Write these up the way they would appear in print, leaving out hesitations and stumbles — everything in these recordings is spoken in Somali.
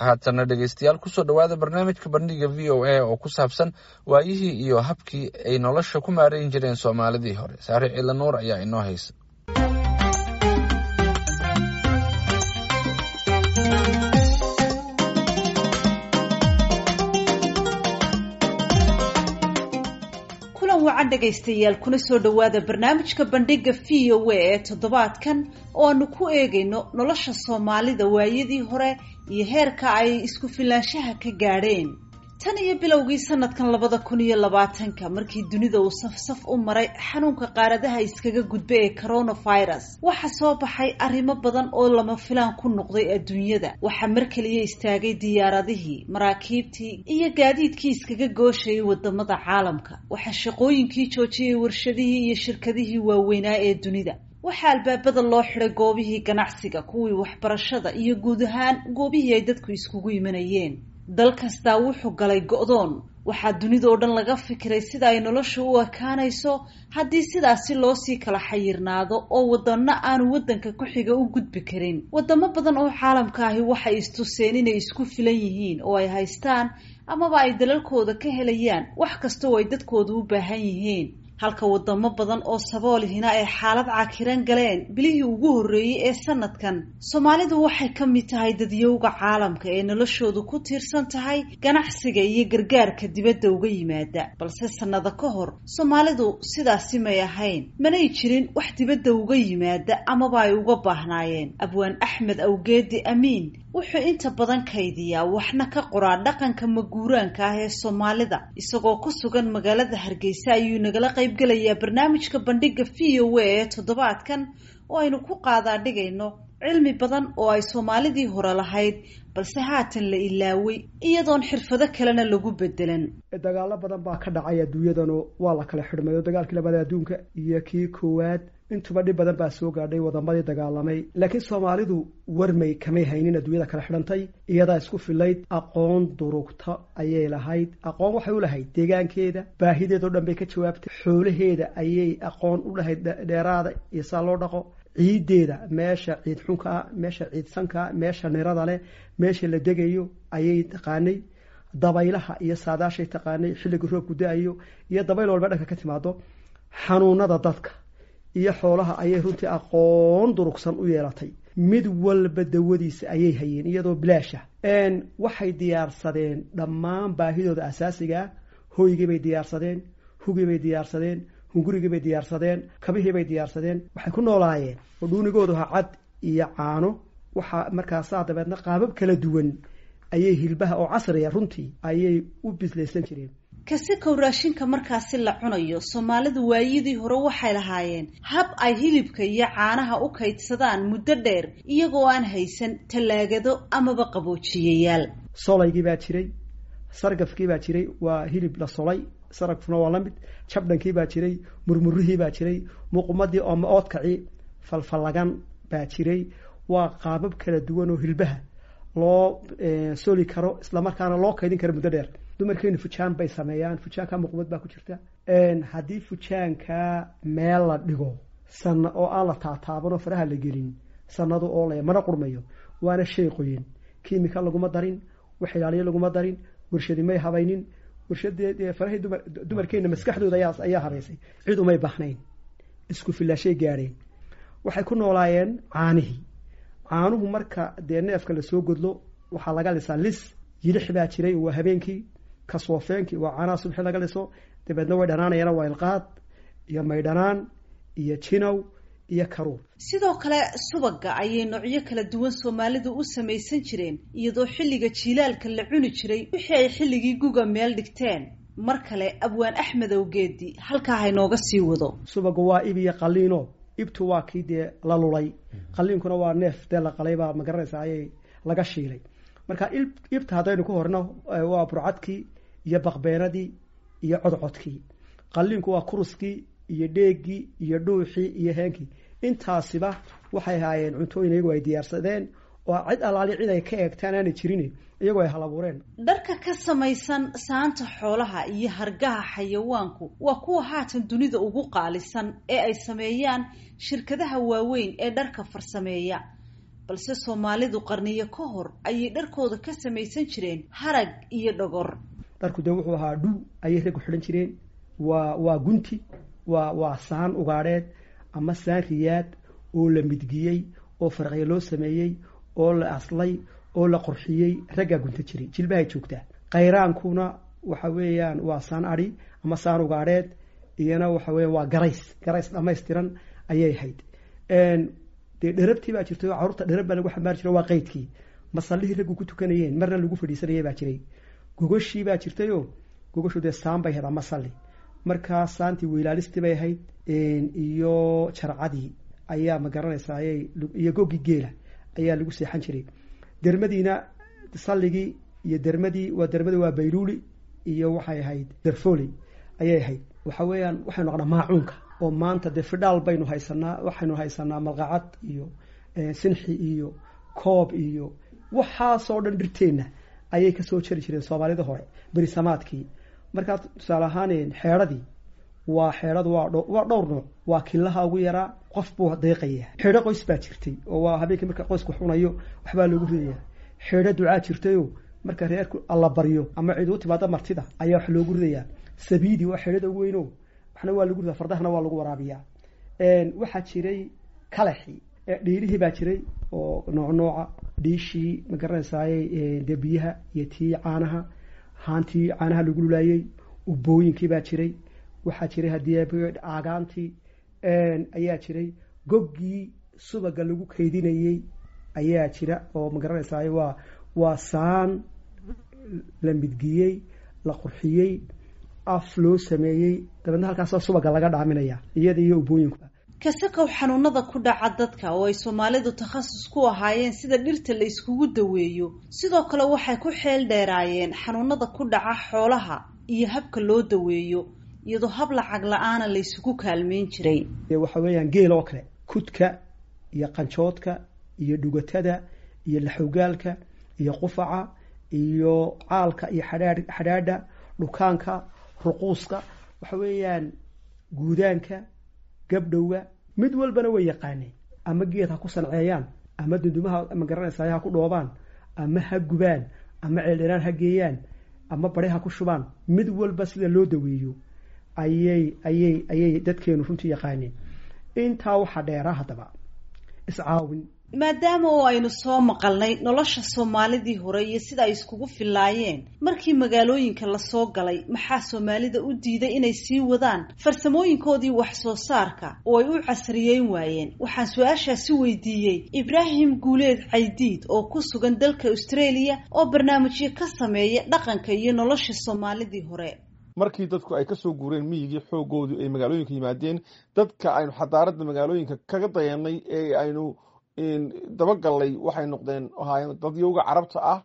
Haatanna dhegeystayaal, kusoo dhowaada barnaamijka Bandhiga VOA oo ku saabsan waayihii iyo habkii ay nolosha ku maarayn jireen Soomaalidii hore. Saare Ciila Nuur ayaa inoo haysa. Kulan wacan dhegaystayaal, kuna soo dhowaada barnaamijka Bandhiga VOA ee toddobaadkan oo aanu ku eegayno nolosha Soomaalida waayadii hore iyo heerka ay isku filaanshaha ka gaadheen. Tan iyo bilowgii sanadkan 2020-ka, markii dunida uu safsaf u maray xanuunka qaaradaha iskaga gudba ee coronavirus, waxaa soo baxay arrimo badan oo lama filaan ku noqday adduunyada. Waxaa mar keliya istaagay diyaaradihii, maraakiibtii iyo gaadiidkii iskaga gooshayay wadamada caalamka. Waxaa shaqooyinkii joojiyey warshadihii iyo shirkadihii waaweynaa ee dunida. Waxaa albaabada loo xidhay goobihii ganacsiga, kuwii waxbarashada iyo guud ahaan goobihii ay dadku iskugu imanayeen. Dal kastaa wuxuu galay go'doon. Waxaa dunida oo dhan laga fikiray sida ay noloshu u ekaanayso haddii sidaasi loosii kala xayirnaado oo wadano aanu waddanka ku xiga u gudbi karin. Wadamo badan oo caalamka ahi waxay istuseen inay isku filan yihiin oo ay haystaan amaba ay dalalkooda ka helayaan wax kasta oo ay dadkooda u baahan yihiin, halka wadamo badan oo saboolihina ay xaalad cakiran galeen bilihii ugu horreeyey ee sanadkan. Soomaalidu waxay ka mid tahay dadyowga caalamka ee noloshoodu ku tiirsan tahay ganacsiga iyo gargaarka dibadda uga yimaada, balse sanado ka hor Soomaalidu sidaasi may ahayn, manay jirin wax dibadda uga yimaada amaba ay uga baahnaayeen. Abwaan Axmed Awgeedi Amiin wuxuu inta badan kaydiyaa waxna ka qoraa dhaqanka maguuraanka ah ee Soomaalida. Isagoo ku sugan magaalada Hargeysa ayuu nagala qayb gelayaa barnaamijka Bandhiga VOA ee toddobaadkan oo aynu ku qaadaa dhigayno cilmi badan oo ay Soomaalidii hore lahayd balse haatan la ilaaway, iyadoon xirfado kalena lagu bedelan. Dagaalo badan baa ka dhacay adduunyadanoo waa la kala xidhmay, oo dagaalkii labada adduunka iyo kii koowaad intuba dhib badan baa soo gaadhay wadamadii dagaalamay. Laakiin Soomaalidu warmay kamay haynin adduunyada kala xidhantay, iyadaa isku filayd. Aqoon durugta ayay lahayd. Aqoon waxay u lahayd deegaankeeda, baahideedao dhan bay ka jawaabtay. Xoolaheeda ayay aqoon u lahayd, dheeraada iyo saa loo dhaqo, ciiddeeda, meesha ciid xunkaa, meesha ciid sankaa, meesha nirada leh, meesha la degayo ayay taqaanay. Dabaylaha iyo saadaashay taqaanay, xilliga roobku da-ayo iyo dabayl walba dhanka ka timaado. Xanuunada dadka iyo xoolaha ayay runtii aqoon durugsan u yeelatay. Mid walba dawadiisa ayay hayeen iyadoo bilaasha. Waxay diyaarsadeen dhammaan baahidooda asaasigaa. Hoygii bay diyaarsadeen, hugii bay diyaarsadeen, hungurigii bay diyaarsadeen, kabihii bay diyaarsadeen. Waxay ku noolaayeen oo dhuunigoodu ha cad iyo caano. Waxaa markaasaa dabeedna qaabab kala duwan ayay hilbaha oo casriya runtii ayay u bislaysan jireen. Kasikow raashinka markaasi la cunayo, Soomaalidu waayadii hore waxay lahaayeen hab ay hilibka iyo caanaha u kaydsadaan muddo dheer iyagoo aan haysan tallaagado amaba qaboojiyayaal. Solaygii baa jiray, sargafkii baa jiray, waa hilib la solay, saragfuna waa la mid. Jabdhankii baa jiray, murmurihii baa jiray, muqumadii oo ma-oodkacii falfallagan baa jiray. Waa qaabab kala duwan oo hilbaha loo soli karo, islamarkaana loo kaydin karo muddo dheer. Dumarkeenu fujaan bay sameeyaan, fujaanka muqumad baa ku jirta. Haddii fujaanka meel la dhigo sana oo aan la taataaban oo faraha la gelin, sanadu oo la mana qurmayo, waana shay qoyin. Kiimika laguma darin, wax ilaaliyo laguma darin, warshadi may habaynin. Warshadee farahii dumar dumarkeena maskaxdooda ayaa habaysay. Cid umay baahnayn, isku filaashay gaadheen. Waxay ku noolaayeen caanihii. Caanuhu marka dee neefka lasoo godlo waxaa laga lisaa lis yilix baa jiray, waa habeenkii kasoofeenkii, waa caanaha subxi laga liso. Dabeedna way dhanaanayana, waa ilqaad iyo maydhanaan iyo jinow iyo karuur. Sidoo kale subaga ayay noocyo kala duwan Soomaalidu u samaysan jireen, iyadoo xilliga jiilaalka la cuni jiray wixii ay xilligii guga meel dhigteen. Mar kale abwaan Axmed Awgeedi halkaa haynooga sii wado. Subagu waa ib iyo qaliino. Ibtu waa kii dee la lulay, qaliinkuna waa neef dee la qalaybaa, ma garanaysa, ayay laga shiilay. Marka ibta haddaynu ku horno waa burcadkii iyo baqbeenadii iyo codcodkii. Qaliinku waa kuruskii iyo dheegii iyo dhuuxii iyo heenkii. Intaasiba waxay ahaayeen cuntooyin iyagu ay diyaarsadeen oo cid alaali cid ay ka eegtaan aanay jirin, iyagoo ay halabuureen. Dharka ka samaysan saanta xoolaha iyo hargaha xayawaanku waa kuwa haatan dunida ugu qaalisan ee ay sameeyaan shirkadaha waaweyn ee dharka farsameeya. Balse Soomaalidu qarniyo ka hor ayay dharkooda ka samaysan jireen harag iyo dhogor. Dharku dee wuxuu ahaa dhuu ayay raggu xidhan jireen. Waa gunti, waa saan ugaadheed ama saan riyaad oo la midgiyey oo faraqyo loo sameeyey oo la aslay oo la qorxiyey, raggaa gunta jiray, jilbahay joogtaa. Qayraankuna waxa weeyaan waa saan adhi ama saan ugaadheed, iyana waxa weya waa garays, garays dhammaystiran ayay ahayd. Dee dherabtii baa jirtay oo carruurta dherab baa lagu xambaari jiray, waa qaydkii. Masallihii raggu ku tukanayeen marna lagu fadhiisanayay baa jiray. Gogoshii baa jirtayoo gogoshu dee saan bay ahayd ama salli, markaa saantii weylaalistii bay ahayd iyo jarcadii ayaa ma garanaysaayey, iyo goggii geela ayaa lagu seexan jiray. Dermadiina salligii iyo dermadii, waa dermadi, waa bayluuli iyo waxay ahayd derfoli ayay ahayd. Waxa weeyaan waxaynu naqnaa maacuunka oo maanta dee fidhaal baynu haysanaa, waxaynu haysanaa malqacad iyo sinxi iyo koob iyo waxaasoo dhan dhirteenna ayay kasoo jari jireen Soomaalida hore berisamaadkii. Markaa tusaale ahaan xeedhadii, waa xeedhadu waa dhowr nooc, waa kilaha ugu yaraa, qof buu deeqaya. Xeedho qoys baa jirtay oo waa habeenkii marka qoysku xunayo waxbaa loogu ridaya. Xeedho ducaa jirtayoo marka reerku alla baryo ama cid u timaada martida ayaa wax loogu ridayaa. Sabiidi waa xeedhada ugu weyno, waxna waa lagu ridaa, fardahana waa lagu waraabiyaa. Waxaa jiray kalaxii, dhiilihii baa jiray oo nooc nooca, dhiishii ma garanaysaaye dee biyaha iyo tii caanaha, haantii caanaha lagu lulaayey, ubooyinkii baa jiray. Waxaa jiray haddii aagaantii ayaa jiray, goggii subaga lagu kaydinayey ayaa jira oo ma garanaysaaye waa saan la midgiyey, la qurxiyey, af loo sameeyey, dabeedna halkaasa subaga laga dhaaminaya iyada iyo ubooyinku. Kasakow xanuunada ku dhaca dadka oo ay Soomaalidu takhasus ku ahaayeen sida dhirta la iskugu daweeyo, sidoo kale waxay ku xeel dheeraayeen xanuunada ku dhaca xoolaha iyo habka loo daweeyo, iyadoo hab lacag la-aana la isugu kaalmeyn jiray. Waxa weeyaan geel oo kale, kudka iyo qanjoodka iyo dhugatada iyo laxogaalka iyo qufaca iyo caalka iyo xadhaadha, dhukaanka, ruquuska, waxa weeyaan guudaanka, gabdhowga, mid walbana way yaqaaneen. Ama geed ha ku sanceeyaan, ama dundumaha ma garanaysaay ha ku dhoobaan, ama ha gubaan, ama ceeldheraan ha geeyaan, ama bare ha ku shubaan, mid walba sida loo daweeyo ayay dadkeenu runtii yaqaaneen. Intaa waxaa dheeraa haddaba iscaawin. Maadaama oo aynu soo maqalnay nolosha Soomaalidii hore iyo sida ay iskugu fillaayeen markii magaalooyinka lasoo galay, maxaa Soomaalida u diiday inay sii wadaan farsamooyinkoodii wax soo saarka oo ay u casriyeyn waayeen? Waxaan su-aashaasi weydiiyey Ibraahim Guuleed Caydiid oo ku sugan dalka Australia oo barnaamijyo ka sameeya dhaqanka iyo nolosha Soomaalidii hore. Markii dadku ay kasoo guureen miyigii, xoogoodu ay magaalooyinka yimaadeen, dadka aynu xadaaradda magaalooyinka kaga dayanay ee aynu dabagallay waxay noqdeen ahaayeen dadyowga Carabta ah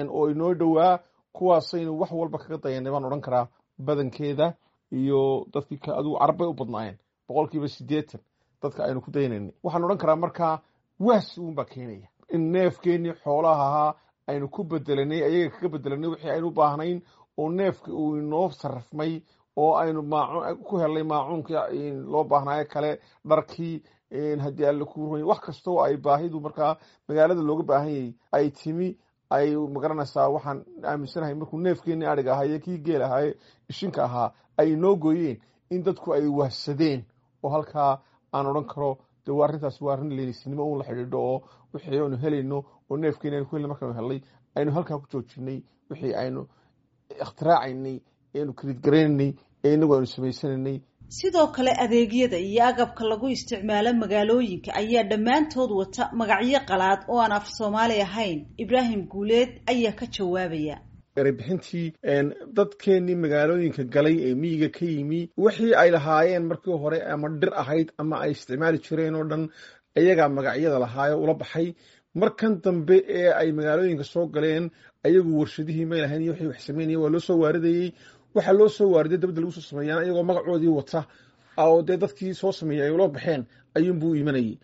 oo inoo dhowaa, kuwaasaynu wax walba kaga dayanay baan odhan karaa badankeeda. Iyo dadkii adigu Carab bay u badnaayeen, 80% dadka aynu ku daynaynay. Waxaan odhan karaa markaa waas uunbaa keenaya in neefkeenii xoolaha ahaa aynu ku bedelanay, ayaga kaga bedelanay wixii aynu u baahnayn, oo neefka uu inoo sarrafmay oo aynu maacuun ku helnay, maacuunkii loo baahnaayo kale, dharkii, haddii alle kuu roy, wax kastoo ay baahidu markaa magaalada looga baahan yayy ay timi ay magaranaysaa. Waxaan aaminsanahay markuu neefkeenii ariga ahaa iyo kii geel ahaaye ishinka ahaa ay inoo gooyeen in dadku ay wahsadeen, oo halkaa aan odhan karo de waa arrintaasi waa arrin leynisnimo uun la xidhiidho, oo wixii aynu helayno oo neefkeeni aynu ku helnay markaanu helnay aynu halkaa ku joojinay wixii aynu ikhtiraacayna eenu kridgaraynay ee inagu aynu samaysanaynay. Sidoo kale adeegyada iyo agabka lagu isticmaalo magaalooyinka ayaa dhammaantood wata magacyo qalaad oo aan af Soomaali ahayn. Ibraahim Guuleed ayaa ka jawaabaya. Erebixintii dadkeenii magaalooyinka galay ee miyiga ka yimi, wixii ay lahaayeen markii hore ama dhir ahayd ama ay isticmaali jireen oo dhan ayagaa magacyada lahaayo ula baxay. Markan dambe ee ay magaalooyinka soo galeen, ayagu warshadihii may lahayn iyo wixii wax sameynaya waa loo soo waaridayey. Waxaa loo soo waariday dabadda lagu soo sameeyaan iyagoo magacoodii wata oo dee dadkii soo sameeyey ay ula baxeen ayuunbuu imanayey.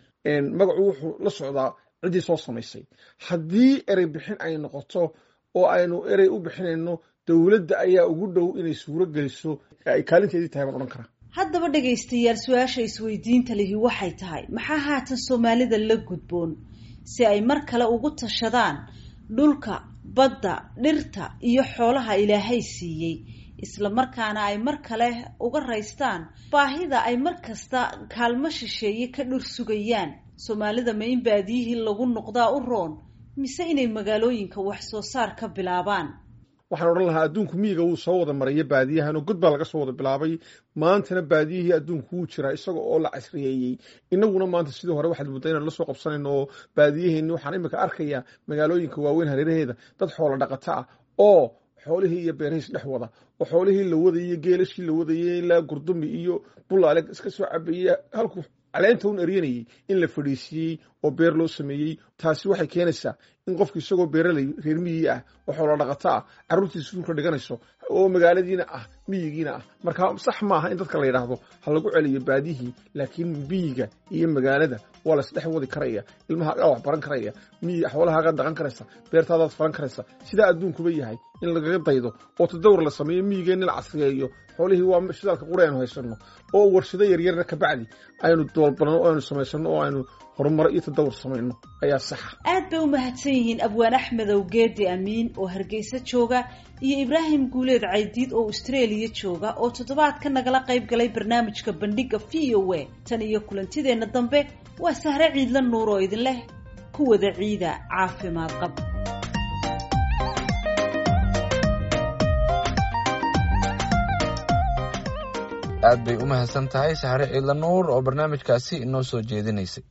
Magacu wuxuu la socdaa ciddii soo samaysay. Haddii erey bixin ay noqoto oo aynu erey u bixinayno, dowladda ayaa ugu dhow inay suuro geliso, ay kaalinteedii tahay baan odhan karaa. Haddaba dhegaystayaal, su-aasha isweydiinta lihi waxay tahay, maxaa haatan Soomaalida la gudboon si ay mar kale ugu tashadaan dhulka, badda, dhirta iyo xoolaha Ilaahay siiyey, isla markaana ay mar kale uga raystaan baahida ay mar kasta kaalmo shisheeye ka dhur sugayaan. Soomaalida ma in baadiyihii lagu noqdaa u roon, mise inay magaalooyinka wax soo saar ka bilaabaan? Waxaan odhan lahaa adduunku miyiga wuu soo wada maraya, baadiyahan oo god baa laga soo wada bilaabay. Maantana baadiyihii adduunku wuu jiraa isaga oo la casriyeeyey. Inaguna maanta sidii hore waxaad muddaa inaan la soo qabsanayno oo baadiyaheenni. Waxaan imika arkayaa magaalooyinka waaweyn hareeraheeda dad xoola dhaqata ah oo xoolihii iyo beerihiis dhex wada, oo xoolihii la wadayey, geelashii la wadayey ilaa Gurdumi iyo Bulaale iska soo cabayey, halkuu caleenta un eryanayey in la fadhiisiiyey oo beer loo sameeyey. Taasi waxay keenaysaa in qofku isagoo beeraley reer miyi ah oo xoolo dhaqato ah carruurtiisa iskuulka dhiganayso oo magaaladiina ah miyigiina ah. Marka sax maaha in dadka la yidhaahdo ha lagu celiyo baadiyihii, laakiin miyiga iyo magaalada waa la isdhex wadi karaya. Ilmaha wax baran karaya, miyi xoolahaagaa dhaqan karaysa, beertaadaad falan karaysa. Sidaa adduunkuba yahay in lagaga daydo oo tadawur la sameeyo, miyigeenna la casriyeeyo. Xoolihii waa shidaalka qura aynu haysanno, oo warshado yaryarna kabacdi aynu doolbanno oo aynu samaysano oo aynu horumar iyo tadawur samayno ayaa saxa. Aad bay u mahadsan yihiin Abwaan Axmedow Geedi Amiin oo Hargeysa jooga iyo Ibraahim Guuleed Caydiid oo Australia jooga oo toddobaadka nagala qayb galay barnaamijka Bandhiga V O A. Tan iyo kulantideenna dambe, waa Sahre Ciidla Nuur oo idin leh ku wada ciida caafimaad qab. Aad bay u mahadsan tahay Sahre Ciidla Nuur oo barnaamijkaasi inoo soo jeedinaysay.